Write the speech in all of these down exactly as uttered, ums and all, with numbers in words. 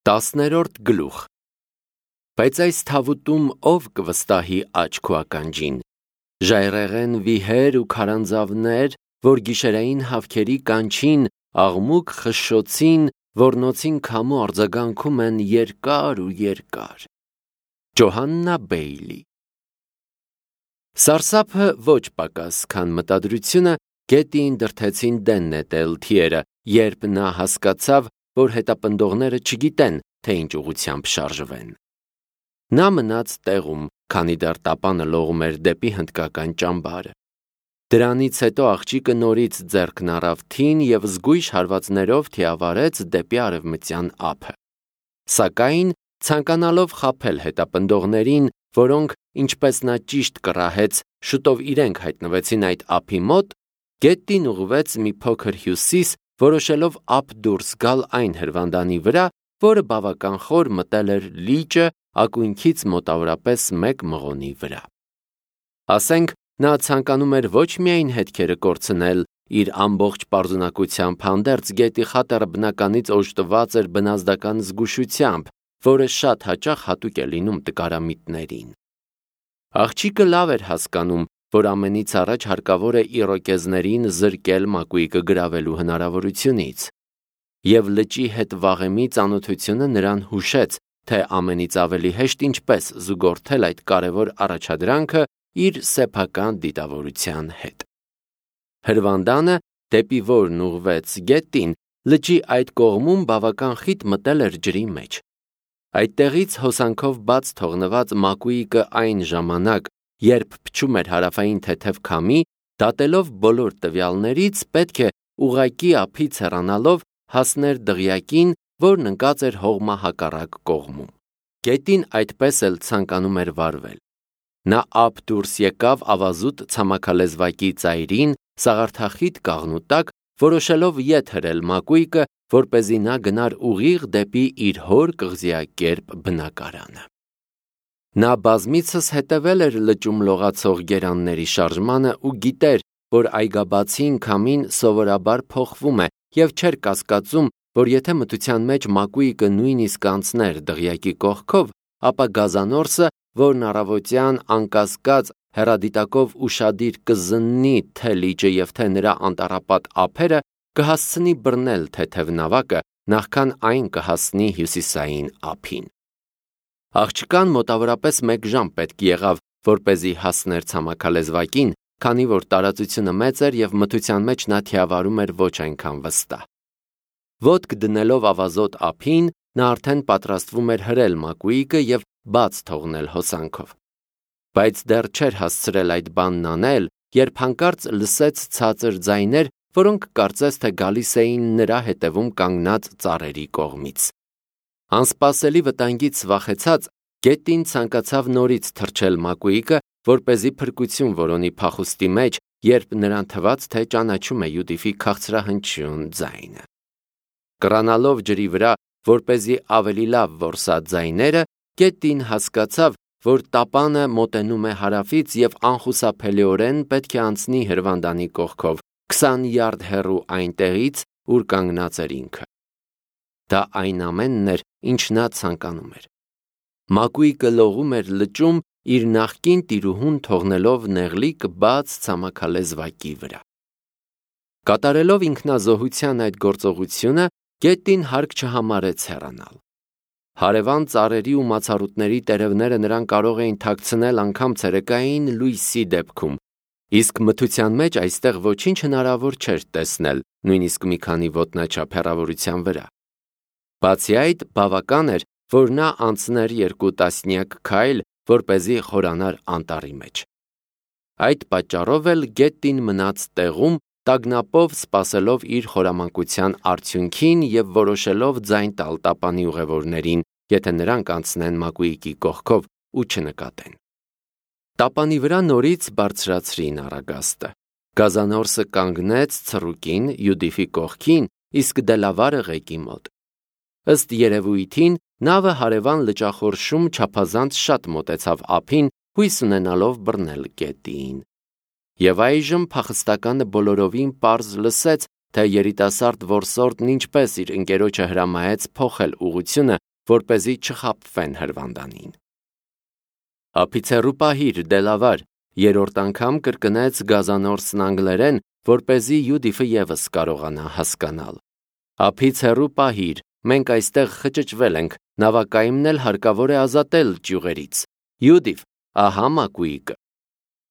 Տասներորդ գլուխ Բայց այս թավուտում ով կվստահի աջ քո ականջին, ժայռերեն վիհեր ու քարանձավներ, որ գիշերային հավքերի կանչին, աղմուկ խշշոցին, ոռնոցին քամու արձագանքում են երկար ու երկար։ Ջոհաննա Բեյլի Սարսափը ոչ պակաս, քան մտադրությունը գետին դրդեցին դեն նետել թիերը, երբ նա հասկացավ, որ հետապնդողները չգիտեն, թե ինչ ուղղությամբ շարժվեն։ Նա մնաց տեղում, քանի դեռ տապանը լողում էր դեպի հնդկական ճամբարը։ Դրանից հետո աղջիկը նորից ձեռքն առավ թին և զգույշ հարվածներով թիավարեց դեպի արևմտյան ափը։ Սակայն, ցանկանալով խաբել հետապնդողներին, որոնք, ինչպես նա ճիշտ կռահեց, շուտով իրենք հայտնվեցին այդ ափի մոտ, գետին ուղղվեց մի փոքր հյուսիս, որոշելով ափ դուրս գալ այն հրվանդանի վրա, որը բավական խոր մտել էր լիճը ակունքից մոտավորապես մեկ մղոնի վրա։ Ասենք, նա ցանկանում էր ոչ միայն հետքերը կորցնել, իր ամբողջ պարզունակությամբ հանդերձ գետի խատերը բնականից օժտված էր բնազդական զգուշությամբ, որը շատ հաճախ հատուկ է լինում տկարամիտներին։ Աղջիկը լավ էր հասկանում, որ ամենից առաջ հարկավոր է իրոկեզներին զրկել մակույկը գրավելու հնարավորությունից։ Եվ լճի հետ վաղեմի ծանոթությունը նրան հուշեց, թե ամենից ավելի հեշտ ինչպես զուգորդել այդ կարևոր առաջադրանքը իր սեփական դիտավորության հետ։ Հրվանդանը, դեպի որն ուղղվեց գետին, լճի այդ կողմում բավական խիտ մտել էր ջրի մեջ։ Այդտեղից հոսանքով բաց թողնված մակույկը այն ժամանակ, երբ փչում էր հարավային թեթև քամի, դատելով բոլոր տվյալներից, պետք է ուղղակի ափից հեռանալով հասներ դղյակին, որն ընկած էր հողմահակառակ կողմում։ Գետին այդպես էլ ցանկանում էր վարվել։ Նա ափ դուրս եկավ ավազուտ ցամաքալեզվակի ծայրին, սաղարթախիտ կաղնու տակ, որոշելով ետ հրել մակույկը, որպեսզի նա գնար ուղիղ դեպի իր հոր կղզիակերպ բնակարանը։ Նա բազմիցս հետևել էր լճում լողացող գերանների շարժմանը ու գիտեր, որ այգաբացին քամին սովորաբար փոխվում է և չէր կասկածում, որ եթե մթության մեջ մակույկը նույնիսկ անցներ դղյակի կողքով, ապա գազանորսը, որն առավոտյան անկասկած հեռադիտակով ուշադիր կզննի թե լիճը և թե նրա անտառապատ ափերը, կհասցնի բռնել թեթև նավակը, նախքան այն կհասնի հյուսիսային ափին։ Աղջկան մոտավորապես մեկ ժամ պետք եղավ, որպեսզի հասներ ցամաքալեզվակին, քանի որ տարածությունը մեծ էր և մթության մեջ նա թիավարում էր ոչ այնքան վստահ։ Ոտք դնելով ավազոտ ափին, նա արդեն պատրաստվում էր հրել մակույկը և բաց թողնել հոսանքով։ Բայց դեռ չէր հասցրել այդ բանն անել, երբ հանկարծ լսեց ցածր ձայներ, որոնք կարծես թե գալիս էին նրա հետևում կանգնած ծառերի կողմից։ Անսպասելի վտանգից վախեցած, գետին ցանկացավ նորից թռչել մակույկը, որպեսզի փրկություն որոնի փախուստի մեջ, երբ նրան թվաց, թե ճանաչում է Յուդիֆի քաղցրահնչյուն ձայնը։ Կռանալով ջրի վրա, որպեսզի ավելի լավ որսա ձայները, գետին հասկացավ, որ տապանը մոտենում է հարավից և անխուսափելիորեն պետք է անցնի հրվանդանի կողքով, քսան յարդ հեռու այնտեղից, ուր կանգնած էր ինքը։ Դա այն ամենն էր, ինչ նա ցանկանում էր։ Մակույկը լողում էր լճում, իր նախկին տիրուհուն թողնելով նեղլիկ բաց ցամաքալեզվակի վրա։ Կատարելով ինքնազոհության այդ գործողությունը, գետին հարկ չհամարեց հեռանալ։ Հարևան ծառերի ու մացառուտների տերևները նրան կարող էին թաքցնել անգամ ցերեկային լույսի դեպքում, իսկ մթության մեջ այստեղ ոչինչ հնարավոր չէր տեսնել, նույնիսկ մի քանի ոտնաչափ հեռավորության վրա։ Բացի այդ, բավական էր, որ նա անցներ երկու տասնյակ քայլ, որպեսզի խորանար անտառի մեջ։ Այդ պատճառով էլ գետին մնաց տեղում, տագնապով սպասելով իր խորամանկության արդյունքին և որոշելով ձայն տալ տապանի ուղևորներին, եթե նրանք անցնեն մակույկի կողքով ու չնկատեն։ Տապանի վրա նորից բարձրացրին առագաստը։ Գազանորսը կանգնեց ցռուկին Յուդիֆի կողքին, իսկ դելավարը ղեկի մոտ։ Ըստ երևույթին, նավը հարևան լճախորշում չափազանց շատ մոտեցավ ափին, հույս ունենալով բռնել գետին։ Եվ այժմ փախստականը բոլորովին պարզ լսեց, թե երիտասարդ որսորդն ինչպես իր ընկերոջը հրամայեց փոխել ուղղությունը որպեսզի չխաբվեն հրվանդանին։ Ափից հեռու պահիր, դելավար, երրորդ անգամ կրկնեց գազանորսն անգլերեն, որպեսզի Յուդիֆը ևս կարողանա հասկանալ։ Ափից հեռու պահիր, մենք այստեղ խճճվել ենք, նավակայինն էլ հարկավոր է ազատել ճյուղերից։ Յուդիֆ, ահա մակույիկը։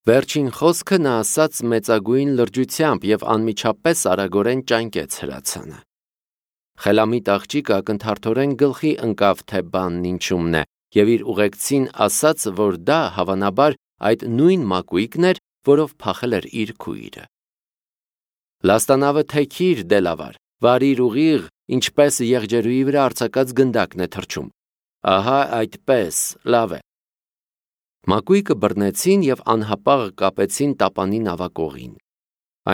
Վերջին խոսքը նա ասաց մեծագույն լրջությամբ և անմիջապես արագորեն ճանկեց հրացանը։ Խելամիտ աղջիկը ակնթարթորեն գլխի ընկավ, թե բանն ինչումն է, և իր ուղեկցին ասաց, որ դա հավանաբար այդ նույն մակույիկն էր, որով փախել էր իր քույրը։ Լաստանավը թեքիր, դելավար, վարիր ուղիղ, ինչպես եղջերուի վրա արձակած գնդակն է թռչում։ Ահա այդպես, լավ է։ Մակույկը բռնեցին և անհապաղ կապեցին տապանի նավակողին։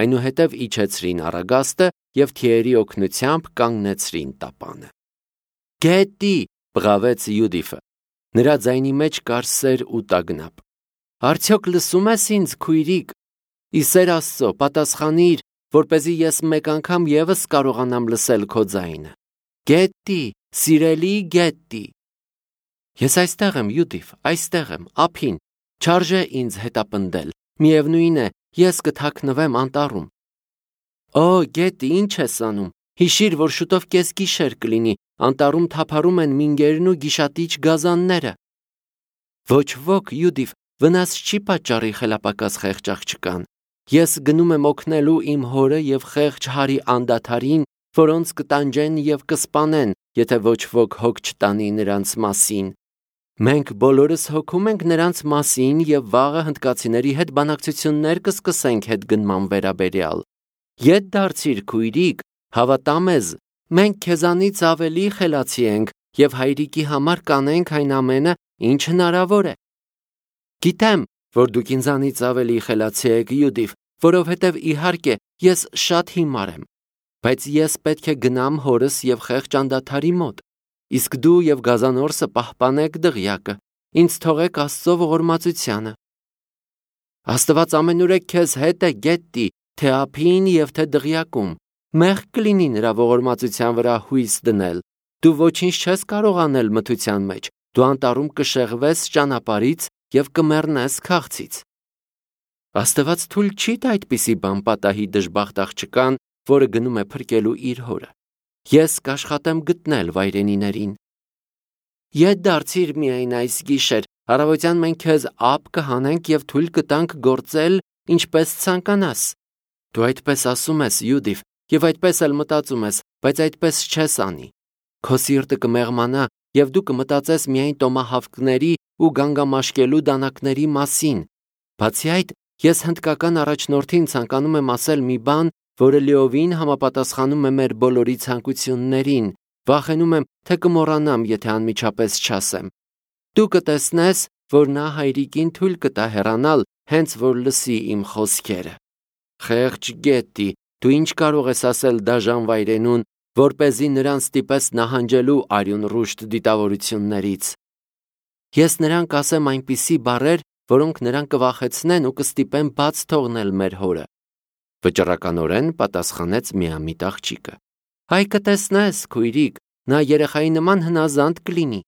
Այնուհետև իջեցրին առագաստը և թիերի օգնությամբ կանգնեցրին տապանը։ Գետի, բղավեց Յուդիֆը։ Նրա ձայնի մեջ կար սեր ու տագնապ։ Արդյոք լսում ես ինձ, քույրիկ։ Ի սեր Աստծո, պատասխանիր, որպեսզի ես մեկ անգամ ևս կարողանամ լսել քո ձայնը։ Գետի, սիրելի գետի։ Ես այստեղ եմ, Յուդիֆ, այստեղ եմ, ափին, չարժե ինձ հետապնդել, միևնույն է, ես կթաքնվեմ անտառում։ Օ, գետի, ինչ ես անում, հիշիր, որ շուտով կեսգիշեր կլինի, անտառում թափառում են մինգերն ու գիշատիչ գազանները։ Ոչ ոք, Յուդիֆ, վնաս չի պատճառի խելապակաս խեղճ աղջկան։ Ես գնում եմ օգնելու իմ հորը և խեղճ հարի անդադարին, որոնց կտանջեն և կսպանեն, եթե ոչ ոք հոգ չտանի նրանց մասին։ Մենք բոլորս հոգում ենք նրանց մասին և վաղը հնդկացիների հետ բանակցություններ կսկսենք հետգնման վերաբերյալ։ Ետ դարձիր, քույրիկ, հավատա մեզ, մենք քեզանից ավելի խելացի ենք և հայրիկի համար կանենք այն ամենը, ինչ հնարավոր է։ Գիտեմ, որ դուք ինձանից ավելի խելացի եք, Յուդիֆ, որովհետև իհարկե ես շատ հիմար եմ, բայց ես պետք է գնամ հորս և խեղճ անդադարի մոտ, իսկ դու և գազանորսը պահպանեք դղյակը, ինձ թողեք Աստծո ողորմածությանը։ Աստված ամենուրեք քեզ հետ է, գետի, թե ափին և թե դղյակում, մեղք կլինի նրա ողորմածության վրա հույս դնել, դու ոչինչ չես կարող անել մթության մեջ, դու անտառում կշեղվես ճանապարհից և կմեռնես քաղցից։ Աստված թույլ չի տա այդպիսի բան պատահի դժբախտ աղջկան, որը գնում է փրկելու իր հորը։ Ես կաշխատեմ գտնել վայրենիներին։ Ետ դարձիր միայն այս գիշեր, առավոտյան մենք քեզ ափ կհանենք և թույլ կտանք գործել, ինչպես ցանկանաս։ Դու այդպես ասում ես, Յուդիֆ, և այդպես էլ մտածում ես, բայց այդպես չես անի։ Քո սիրտը կմեղմանա, և դու կմտածես միայն տոմահավքների ու գանգամաշկելու դանակների մասին։ Բացի այդ, ես հնդկական առաջնորդին ցանկանում եմ ասել մի բան, որը լիովին համապատասխանում է մեր բոլորի ցանկություններին։ Վախենում եմ, թե կմոռանամ, եթե անմիջապես չասեմ։ Դու կտեսնես, որ նա հայրիկին թույլ կտա հեռանալ, հենց որ լսի իմ խոսքերը։ Խեղճ գետի, դու ինչ կարող ես ասել դաժան վայրենուն, որպեսզի նրան ստիպես նահանջելու արյուն ռուշտ դիտավորություններից։ Ես նրան կասեմ այնպիսի բառեր, որոնք նրան կվախեցնեն ու կստիպեն բաց թողնել մեր հորը։ Վճռականորեն պատասխանեց միամիտ աղջիկը։ Այ կտեսնես, քույրիկ, նա երեխայի նման հնազանդ կլինի։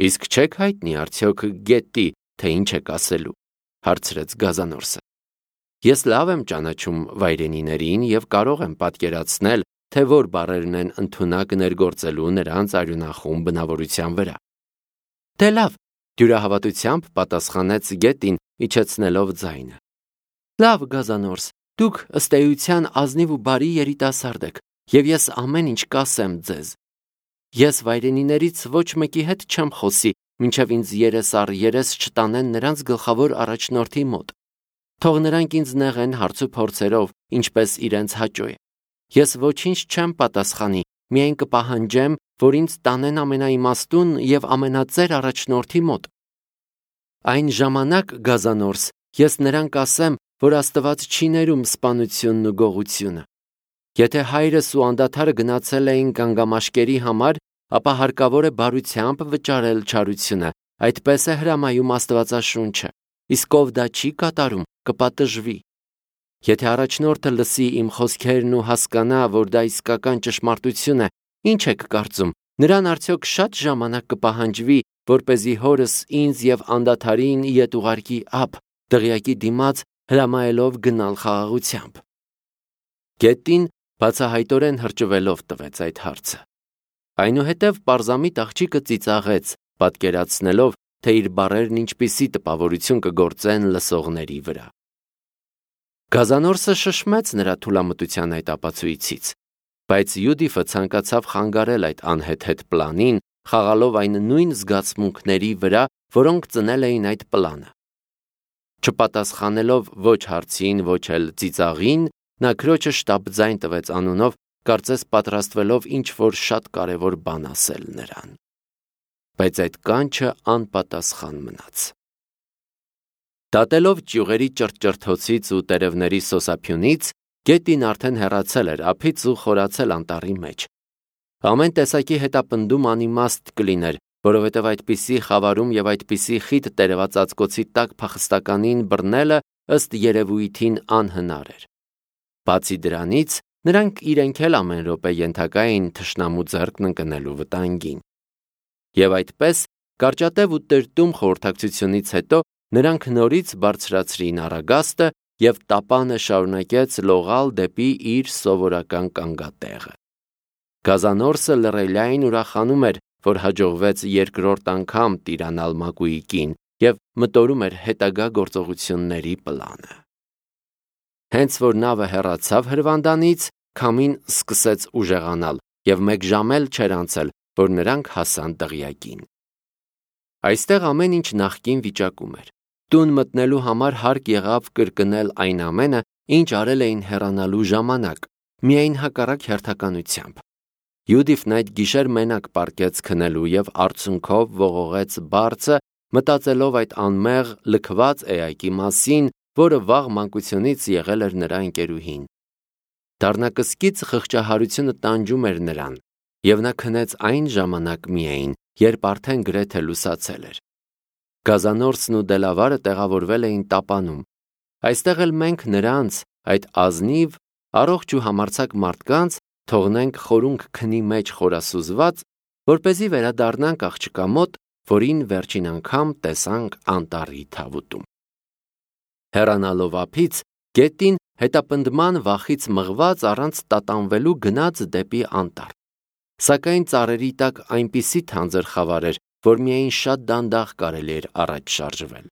Իսկ չեք հայտնի արդյոք գետի, թե ինչ եք ասելու, հարցրեց գազանորսը։ Ես լավ եմ ճանաչում վայրենիներին և կարող եմ պատկերացնել, թե որ բառերն են ընդունակ ներգործելու նրանց արյունախում բնավորության վրա։ Դե լավ, դյուրահավատությամբ պատասխանեց գետին, իջեցնելով ձայնը։ Լավ, գազանորս, դուք ըստ էության ազնիվ ու բարի երիտասարդ եք, և ես ամեն ինչ կասեմ ձեզ։ Ես վայրենիներից ոչ մեկի հետ չեմ խոսի, մինչև ինձ երես առ երես չտանեն նրանց գլխավոր առաջնորդի մոտ։ Թող նրանք ինձ նեղեն հարց ու փորձերով, ինչպես իրենց հաճո է։ Ես ոչինչ չեմ պատասխանի, միայն կպահանջեմ, որ ինձ տանեն ամենաիմաստուն և ամենածեր առաջնորդի մոտ։ Այն ժամանակ, գազանորս, ես նրան կասեմ, որ Աստված չի ներում սպանությունն ու գողությունը։ Եթե հայրս ու անդադարը գնացել էին գանգամաշկերի համար, ապա հարկավոր է բարությամբ վճարել չարությունը, այդպես է հրամայում Աստվածաշունչը, իսկ ով դա չի կատարում, կպատժվի։ Եթե առաջնորդը լսի իմ խոսքերն ու հասկանա, որ դա իսկական ճշմարտություն է, ինչ եք կարծում, Նրան արդյոք շատ ժամանակ կպահանջվի, որպեսզի հորս ինձ և անդադարին ետ ուղարկի ափ, դղյակի դիմաց հրամայելով գնալ խաղաղությամբ։ Գետին բացահայտորեն հրճվելով տվեց այդ հարցը։ Այնուհետև պարզամիտ աղջիկը ծիծաղեց, պատկերացնելով, թե իր բառերն ինչպիսի տպավորություն կգործեն լսողների վրա։ Գազանորսը շշմեց նրա թուլամտության այդ ապացույցից, բայց Յուդիֆը ցանկացավ խանգարել այդ անհեթեթ պլանին, խաղալով այն նույն զգացմունքների վրա, որոնք ծնել էին այդ պլանը։ Չպատասխանելով ոչ հարցին, ոչ էլ ծիծաղին, նա քրոջը շտապ ձայն տվեց անունով, կարծես պատրաստվելով ինչ-որ շատ կարևոր բան ասել նրան։ Բայց այդ կանչը անպատասխան մնաց։ Դատելով ճյուղերի ճրճրթոցից ու տերևների սոսափյունից, գետին արդեն հեռացել էր ափից ու խորացել անտառի մեջ։ Ամեն տեսակի հետապնդում անիմաստ կլիներ, որովհետև այդպիսի խավարում և այդպիսի խիտ տերևած ածկոցի տակ փախստականին բռնելը ըստ երևույթին անհնար էր։ Բացի դրանից, նրանք իրենք էլ ամեն րոպե ենթակա էին թշնամու ձեռքն ընկնելու վտանգին։ Եվ այդպես, կարճատև ու տրտում խորհրդակցությունից հետո նրանք նորից բարձրացրին առագաստը և տապանը շարունակեց լողալ դեպի իր սովորական կանգատեղը։ Գազանորսը լռելիայն ուրախանում էր, որ հաջողվեց երկրորդ անգամ տիրանալ Մակուիկին և մտորում էր հետագա գործողությունների պլանը։ Հենց որ նավը հեռացավ հրվանդանից, քամին սկսեց ուժեղանալ և մեկ ժամ էլ չէր անցել, որ նրանք հասան դղյակին։ Այստեղ ամեն ինչ նախկին վիճակում էր։ Տուն մտնելու համար հարկ եղավ կրկնել այն ամենը, ինչ արել էին հեռանալու ժամանակ, միայն հակառակ հերթականությամբ։ Յուդիֆն այդ գիշեր մենակ պառկեց քնելու և արցունքով ողողեց բարձը, մտածելով այդ անմեղ լքված էակի մասին, որը վաղ մանկությունից եղել էր նրա ընկերուհին։ Դառնակսկից խղճահարությունը տանջում էր նրան, և նա քնեց այն ժամանակ միայն, երբ արդեն գրեթե լուսացել էր։ Գազանորսն ու Դելավարը տեղավորվել էին տապանում։ Այստեղ էլ մենք նրանց, այդ ազնիվ, առողջ ու համարձակ մարդկանց, թողնենք խորունգ քնի մեջ խորասուզված, որպեսզի վերադառնանք աղջկա մոտ, որին վերջին անգամ տեսանք անտառի թավուտում։ Հեռանալով ափից, գետին հետապնդման վախից մղված առանց տատանվելու գնաց դեպի անտառ։ Սակայն ծառերի տակ այնպիսի թանձր խավար էր, որ միայն շատ դանդաղ կարելի էր առաջ շարժվել։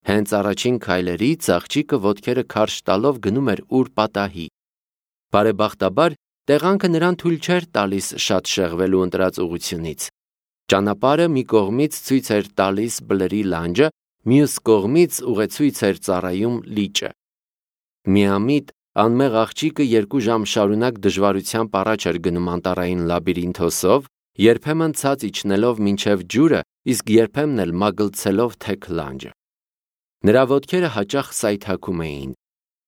Հենց առաջին քայլերից աղջիկը ոտքերը քարշ տալով գնում էր ուր պատահի։ Բարեբախտաբար, տեղանքը նրան թույլ չէր տալիս շատ շեղվելու ընտրած ուղությունից։ Ճանապարհը մի կողմից ցույց էր տալիս բլրի լանջը, մյուս կողմից ուղեցույց էր ծառայում լիճը։ Միամիտ անմեղ աղջիկը երկու ժամ շարունակ դժվարությամբ առաջ էր գնում անտառային լաբիրինթոսով, երբեմն ցած իջնելով մինչև ջուրը, իսկ երբեմն էլ մագլցելով թեք լանջը։ Նրա ոտքերը հաճախ սայթաքում էին։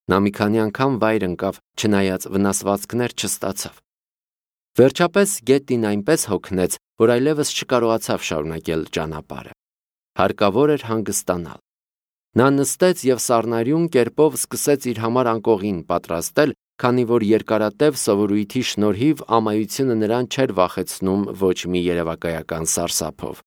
Նա մի քանի անգամ վայր ընկավ, չնայած վնասվածքներ չստացավ։ Վերջապես գետին այնպես հոգնեց, որ այլևս չկարողացավ շարունակել ճանապարհը։ Հարկավոր էր հանգստանալ։ Նա նստեց և սառնարյուն կերպով սկսեց իր համար անկողին պատրաստել, քանի որ երկարատև սովորույթի շնորհիվ ամայությունը նրան չէր վախեցնում ոչ մի երևակայական սարսափով։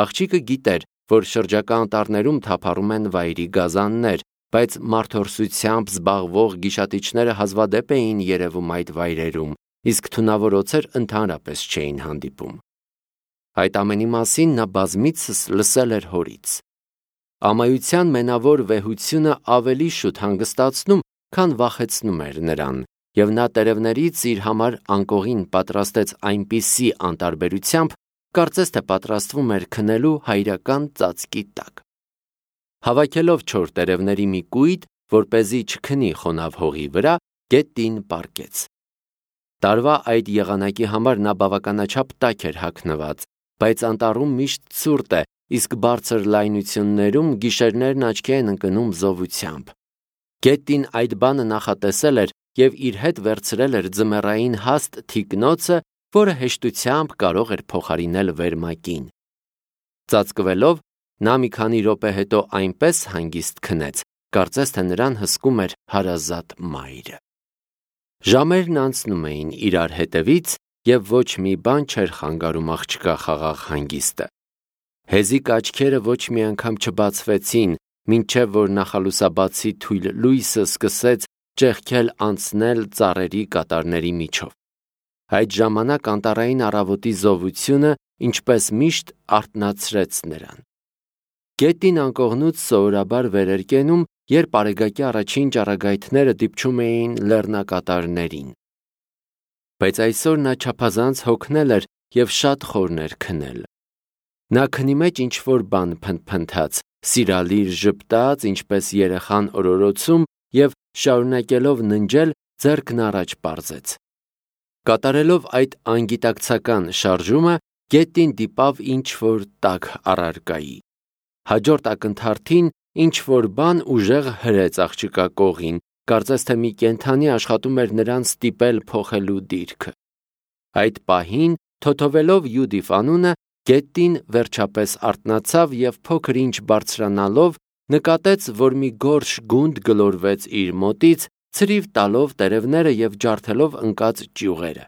Աղջիկը գիտեր, որ շրջակա անտառներում թափառում են վայրի գազաններ, բայց մարդորսությամբ զբաղվող գիշատիչները հազվադեպ էին երևում այդ վայրերում, իսկ թունավոր օձեր ընդհանրապես չէին հանդիպում։ Այդ ամենի մասին նա բազմիցս լսել էր հորից։ Ամայության մենավոր վեհությունը ավելի շուտ հանգստացնում, քան վախեցնում էր նրան, և նա տերևներից իր համար անկողին պատրաստեց այնպիսի անտարբերությամբ, կարծես թե պատրաստվում էր քնելու հայրական ծածկի տակ։ Հավաքելով չոր տերևների մի կույտ, որպեսզի չքնի խոնավ հողի վրա, գետին պառկեց։ Տարվա այդ եղանակի համար նա բավականաչափ տաք էր հագնված, բայց անտառում միշտ ցուրտ է, իսկ բարձր լայնություններում գիշերներն աչքի են ընկնում զովությամբ։ Գետին այդ բանը նախատեսել էր և իր հետ վերցրել էր ձմեռային հաստ թիկնոցը, որը հեշտությամբ կարող էր փոխարինել վերմակին։ Ծածկվելով, նա մի քանի րոպե հետո այնպես հանգիստ քնեց, կարծես թե նրան հսկում էր հարազատ մայրը։ Ժամերն անցնում էին իրար հետևից, և ոչ մի բան չէր խանգարում աղջկա խաղաղ հանգիստը։ Հեզիկ աչքերը ոչ մի անգամ չբացվեցին, մինչև որ նախալուսաբացի թույլ լույսը սկսեց ճեղքել անցնել ծառերի կատարների միջով։ Այդ ժամանակ անտառային առավոտի զովությունը, ինչպես միշտ, արթնացրեց նրան։ Գետին անկողնուց սովորաբար վեր էր կենում, երբ արեգակի առաջին ճառագայթները դիպչում էին լեռնակատարներին։ Բայց այսօր նա չափազանց հոգնել էր և շատ խորն էր քնել։ Նա քնի մեջ ինչ-որ բան փնթփնթաց, սիրալիր ժպտաց, ինչպես երեխան օրորոցում, և շարունակելով ննջել, ձեռքն առաջ պարզեց։ Կատարելով այդ անգիտակցական շարժումը, գետին դիպավ ինչ-որ տաք առարկայի։ Հաջորդ ակնթարթին ինչ-որ բան ուժեղ հրեց աղջկա կողին, կարծես թե մի կենդանի աշխատում էր նրան ստիպել փոխելու դիրքը։ Այդ պահին, թոթովելով Յուդիֆ անունը, գետին վերջապես արթնացավ և փոքր ինչ բարձրանալով նկատեց, որ մի գորշ գունդ գլորվեց իր մոտից, ցրիվ տալով տերևները և ջարդելով ընկած ճյուղերը։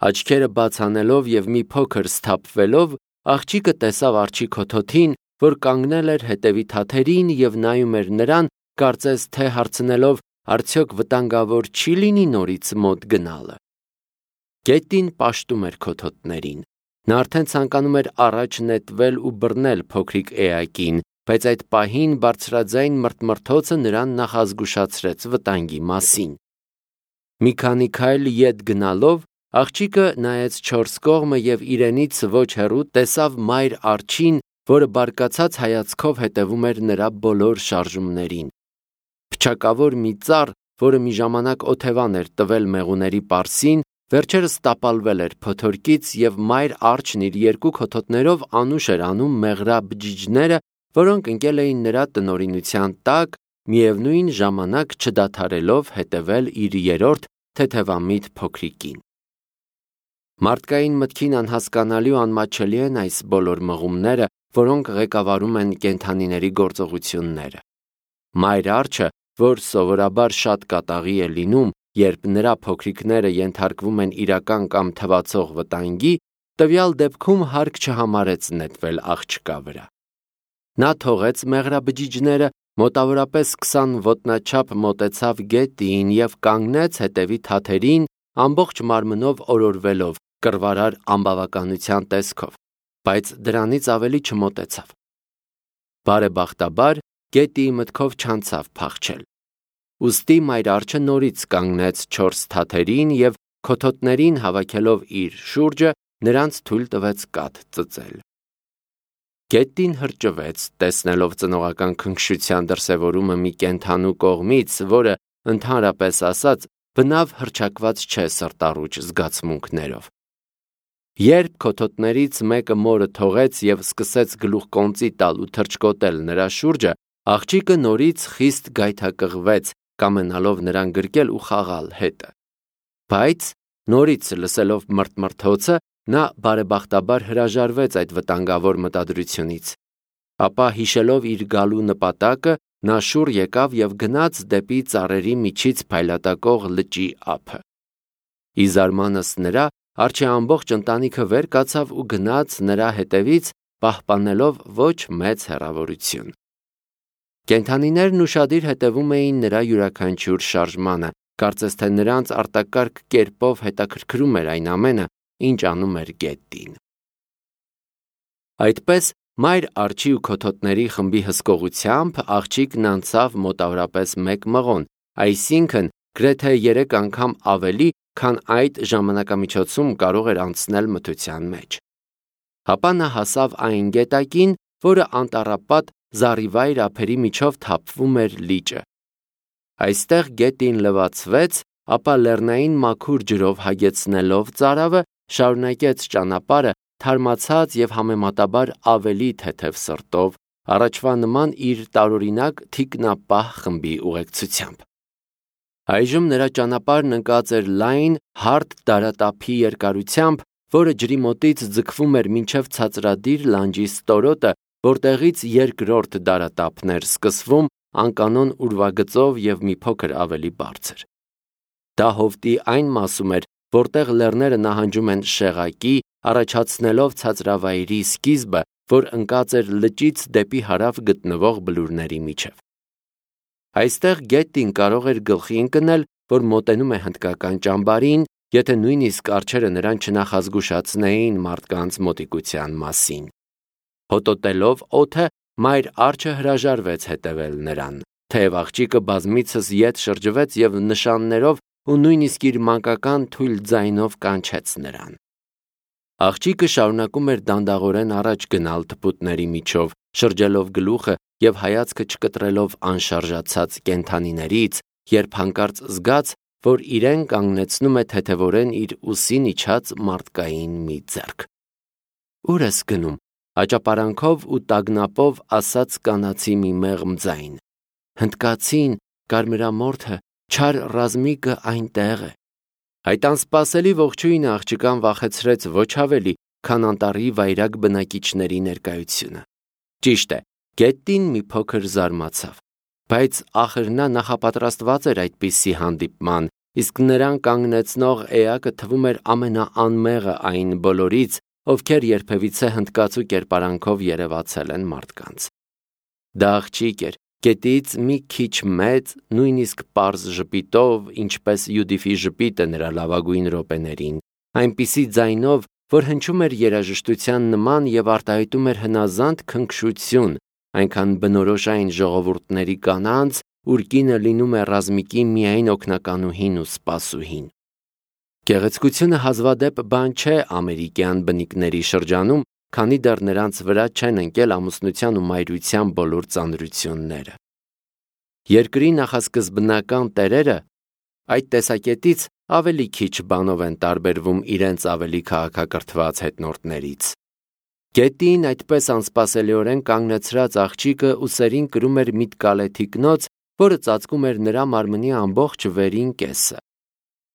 Աչքերը բաց անելով և մի փոքր սթափվելով, աղջիկը տեսավ արջի քոթոթին, որ կանգնել էր հետևի թաթերին և նայում էր նրան, կարծես թե հարցնելով, արդյոք վտանգավոր չի՞ լինի նորից մոտ գնալը։ Գետին պաշտում էր քոթոթներին։ Նա արդեն ցանկանում էր առաջ նետվել ու բռնել փոքրիկ էակին, բայց այդ պահին բարձրաձայն մռթմռթոցը նրան նախազգուշացրեց վտանգի մասին։ Մի քանի քայլ ետ գնալով, աղջիկը նայեց չորս կողմը և իրենից ոչ հեռու տեսավ մայր արջին, որը բարկացած հայացքով հետևում էր նրա բոլոր շարժումներին։ Փչակավոր մի ծառ, որը մի ժամանակ օթևան էր տվել մեղուների պարսին, վերջերս տապալվել էր փոթորկից, և մայր արջն իր երկու քոթոթներով անուշ էր անում մեղրաբջիջները, որոնք ընկել էին նրա տնօրինության տակ, միևնույն ժամանակ չդադարելով հետևել իր երրորդ թեթևամիտ փոքրիկին։ Մարդկային մտքին անհասկանալի ու անմատչելի են այս բոլոր մղումները, որոնք ղեկավարում են կենդանիների գործողությունները։ Մայր արջը, որ սովորաբար շատ կատաղի է լինում, երբ նրա փոքրիկները ենթարկվում են իրական կամ թվացող վտանգի, տվյալ դեպքում հարկ չհամարեց նետվել աղջկա վրա։ Նա թողեց մեղրաբջիջները, մոտավորապես քսան ոտնաչափ մոտեցավ գետին և կանգնեց հետևի թաթերին, ամբողջ մարմնով օրորվելով, կռվարար անբավականության տեսքով, բայց դրանից ավելի չմոտեցավ։ Բարեբախտաբար, գետիի մտքով չանցավ փախչել։ Ուստի մայր արջը նորից կանգնեց չորս թաթերին և քոթոթներին հավաքելով իր շուրջը, նրանց թույլ տվեց կաթ ծծել։ Գետին հրճվեց, տեսնելով ծնողական քնքշության դրսևորումը մի կենդանու կողմից, որը, ընդհանրապես ասած, բնավ հռչակված չէ սրտառուչ զգացմունքներով։ Երբ քոթոթներից մեկը մորը թողեց և սկսեց գլուխկոնծի տալ ու թռչկոտել նրա շուրջը, աղջիկը նորից խիստ գայթակղվեց, կամենալով նրան գրկել ու խաղալ հետը։ Բայց, նորից լսելով մռթմռթոցը, նա բարեբախտաբար հրաժարվեց այդ վտանգավոր մտադրությունից։ Ապա, հիշելով իր գալու նպատակը, նա շուռ եկավ և գնաց դեպի ծառերի միջից փայլատակող լճի ափը։ Ի զարմանս նրա, արջի ամբողջ ընտանիքը վեր կացավ ու գնաց նրա հետևից, պահպանելով ոչ մեծ հեռավորություն։ Կենդանիներն ուշադիր հետևում էին նրա յուրաքանչյուր շարժմանը, կարծես թե նրանց արտակարգ կերպով հետաքրքրում էր այն ամենը, ինչ անում էր գետին։ Այդպես, մայր արջի ու քոթոթների խմբի հսկողությամբ աղջիկն անցավ մոտավորապես մեկ մղոն, այսինքն գրեթե երեք անգամ ավելի, քան այդ ժամանակամիջոցում կարող էր անցնել մթության մեջ։ Ապա նա հասավ այն գետակին, որը անտառապատ զառիվայր ափերի միջով թափվում էր լիճը։ Այստեղ գետին լվացվեց, ապա լեռնային մաքուր ջրով հագեցնելով ծարավը, շարունակեց ճանապարհը թարմացած և համեմատաբար ավելի թեթև սրտով, առաջվա նման իր տարօրինակ թիկնապահ խմբի ուղեկցությամբ։ Այժմ նրա ճանապարհն ընկած էր լայն, հարթ դարատափի երկարությամբ, որը ջրի մոտից ձգվում էր մինչև ցածրադիր լանջի ստորոտը, որտեղից երկրորդ դարատափն էր սկսվում անկանոն ուրվագծով և մի փոքր ավելի բարձր։ Դա հովտի այն մասում էր, որտեղ լեռները նահանջում են շեղակի, առաջացնելով ցածրավայրի սկիզբը, որ ընկած էր լճից դեպի հարավ գտնվող բլուրների միջև։ Այստեղ Գետտին կարող էր գլխի ընկնել, որ մոտենում է հնդկական ճամբարին, եթե նույնիսկ արջերը նրան չնախազգուշացնեին մարդկանց մոտիկության մասին։ Հոտոտելով օդը, մայր արջը հրաժարվեց հետևել նրան, թեև աղջիկը բազմիցս ետ շրջվեց և նշաններով ու նույնիսկ իր մանկական թույլ ձայնով կանչեց նրան։ Աղջիկը շարունակում էր դանդաղորեն առաջ գնալ թփուտների միջով, շրջելով գլուխը և հայացքը չկտրելով անշարժացած կենդանիներից, երբ հանկարծ զգաց, որ իրեն կանգնեցնում է թեթևորեն իր ուսին իջած մարդկային մի ձեռք։ «Ուր ես գնում», աճապարանքով ու տագնապով ասաց կանացի մի մեղմ ձայն։ «Հնդկացին, կարմրամորթը, չար ռազմիկը այնտեղ է»։ Այդ անսպասելի ողջույնը աղջկան վախեցրեց ոչ ավելի, քան անտառի վայրագ բնակիչների ներկայությունը։ Ճիշտ է, Գետտին մի փոքր զարմացավ, բայց ախր նա նախապատրաստված էր այդպիսի հանդիպման, իսկ նրան կանգնեցնող էակը թվում էր ամենաանմեղը այն բոլորից, ովքեր երբևիցե հնդկացու կերպարանքով երևացել են մարդկանց։ Դա աղջիկ էր, գետից մի քիչ մեծ, նույնիսկ պարզ ժպիտով, ինչպես Յուդիֆի ժպիտը նրա լավագույն րոպեներին, այնպիսի ձայնով, որ հնչում էր երաժշտության նման և արտահայտում էր հնազանդ քնքշություն, այնքան բնորոշ այն ժողովուրդների կանանց, ուր կինը լինում է ռազմիկի միայն օգնականուհին ու սպասուհին։ Գեղեցկությունը հազվադեպ բան չէ ամերիկյան բնիկների շրջանում, քանի դեռ նրանց վրա չեն ընկել ամուսնության ու մայրության բոլոր ծանրությունները։ Երկրի նախասկզբնական տերերը այդ տեսակետից ավելի քիչ բանով են տարբերվում իրենց ավելի քաղաքակրթված հետնորդներից։ Գետտին այդպես անսպասելիորեն կանգնեցրած աղջիկը ուսերին կրում էր միտկալե թիկնոց, որը ծածկում էր նրա մարմնի ամբողջ վերին կեսը։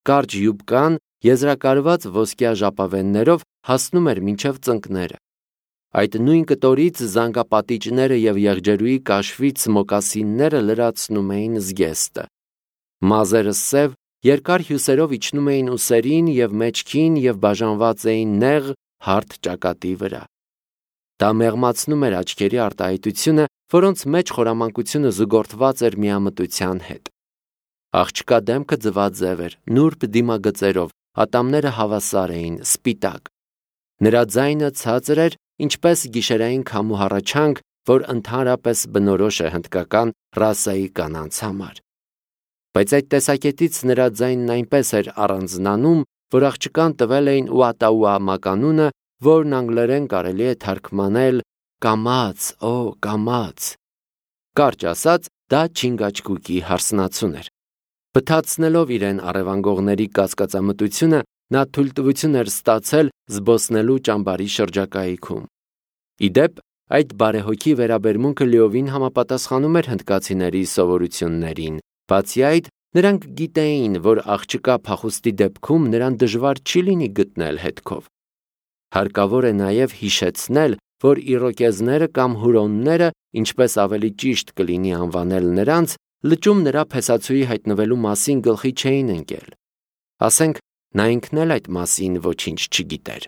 Կարճ յուբկան, եզրակարված ոսկյա ժապավեններով, հասնում էր մինչև ծնկները։ Այդ նույն կտորից զանգապատիճները և եղջերուի կաշվից մոկասինները լրացնում էին զգեստը։ Մազերը սև, երկար հյուսերով իջնում էին ուսերին և մեջքին և բաժանված էին նեղ, հարթ ճակատի վրա։ Դա մեղմացնում էր աչքերի արտահայտությունը, որոնց մեջ խորամանկությունը զուգորդված էր միամտության հետ։ Աղջկա դեմքը ձվաձև էր, նուրբ դիմագծերով, ատամները հավասար էին, սպիտակ։ Նրա ձայնը ցածր էր, ինչպես գիշերային քամու հառաչանք, որ ընդհանրապես բնորոշ է հնդկական ռասայի կանանց համար։ Բայց այդ տեսակետից նրա ձայնն այնպես էր առանձնանում, որ աղջկան տվել էին ուատաուա մականունը, որն անգլերեն կարելի է թարգմանել կամաց, օ, կամաց։ Կարճ ասած, դա չինգաչգուկի հարսնացուն էր։ Բթացնելով իրեն առևանգողների կասկածամտությունը, նա թույլտվություն էր ստացել զբոսնելու ճամբարի շրջակայքում։ Ի դեպ, այդ բարեհոգի վերաբերմունքը լիովին համապատասխանում էր հնդկացիների սովորություններին, բացի այդ, նրանք գիտեին, որ աղջկա փախուստի դեպքում նրան դժվար չի լինի գտնել հետքով։ Հարկավոր է նաև հիշեցնել, որ իրոկեզները կամ հուրոնները, ինչպես ավելի ճիշտ կլինի անվանել նրանց, լճում նրա փեսացուի հայտնվելու մասին գլխի չէին ընկել։ Ասենք, նա ինքն էլ այդ մասին ոչինչ չգիտեր։